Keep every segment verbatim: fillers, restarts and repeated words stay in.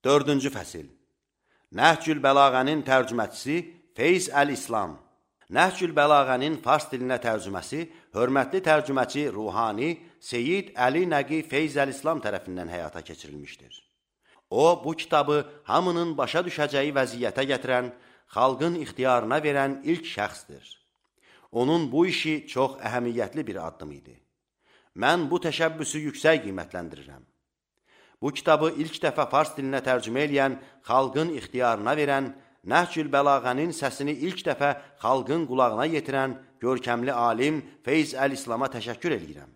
Dördüncü fəsil. Nəhcül Bəlağənin tərcüməçisi Feyz Əl-İslam. Nəhcül Bəlağənin fars dilinə tərcüməsi hörmətli tərcüməçi Ruhani Seyyid Əli Nəqi Feyz Əl-İslam tərəfindən həyata keçirilmişdir. O, bu kitabı hamının başa düşəcəyi vəziyyətə gətirən, xalqın ixtiyarına verən ilk şəxsdir. Onun bu işi çox əhəmiyyətli bir addım idi. Mən bu təşəbbüsü yüksək qiymətləndirirəm. Bu kitabı ilk dəfə fars dilinə tərcümə eləyən, xalqın ixtiyarına verən, Nəhcül Bəlağənin səsini ilk dəfə xalqın qulağına yetirən görkəmli alim Feyz Əl-İslama təşəkkür edirəm.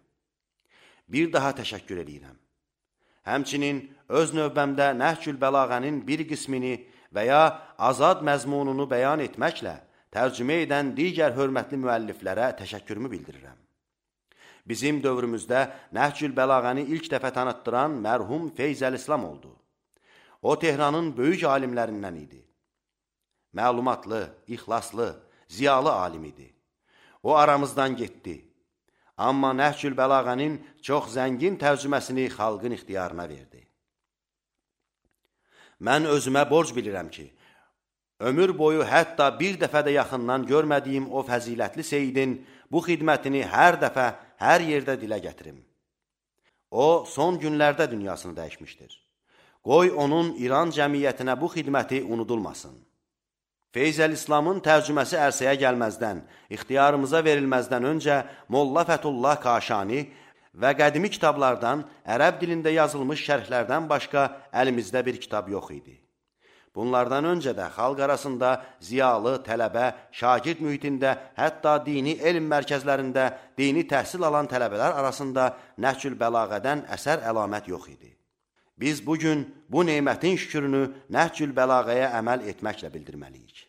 Bir daha təşəkkür edirəm. Həmçinin öz növbəmdə Nəhcül Bəlağənin bir qismini və ya azad məzmununu bəyan etməklə tərcümə edən digər hörmətli müəlliflərə təşəkkürümü bildirirəm. Bizim dövrümüzdə Nəhcül Bəlağəni ilk dəfə tanıtdıran mərhum Feyz Əl-İslam oldu. O, Tehranın böyük alimlərindən idi. Məlumatlı, ixlaslı, ziyalı alim idi. O, aramızdan getdi. Amma Nəhcül Bəlağənin çox zəngin tərcüməsini xalqın ixtiyarına verdi. Mən özümə borc bilirəm ki, ömür boyu hətta bir dəfə də yaxından görmədiyim o fəzilətli seyidin bu xidmətini hər dəfə, hər yerdə dilə gətirim. O, son günlərdə dünyasını dəyişmişdir. Qoy onun İran cəmiyyətinə bu xidməti unudulmasın. Feyz Əl-İslamın tərcüməsi ərsəyə gəlməzdən, ixtiyarımıza verilməzdən öncə Molla Fətullah Kaşani və qədimi kitablardan, ərəb dilində yazılmış şərhlərdən başqa əlimizdə bir kitab yox idi. Bunlardan öncə də xalq arasında ziyalı, tələbə, şagird mühitində, hətta dini elm mərkəzlərində dini təhsil alan tələbələr arasında Nəhcül Bəlağədən əsər əlamət yox idi. Biz bugün bu nemətin şükrünü Nəhcül Bəlağəyə əməl etməklə bildirməliyik.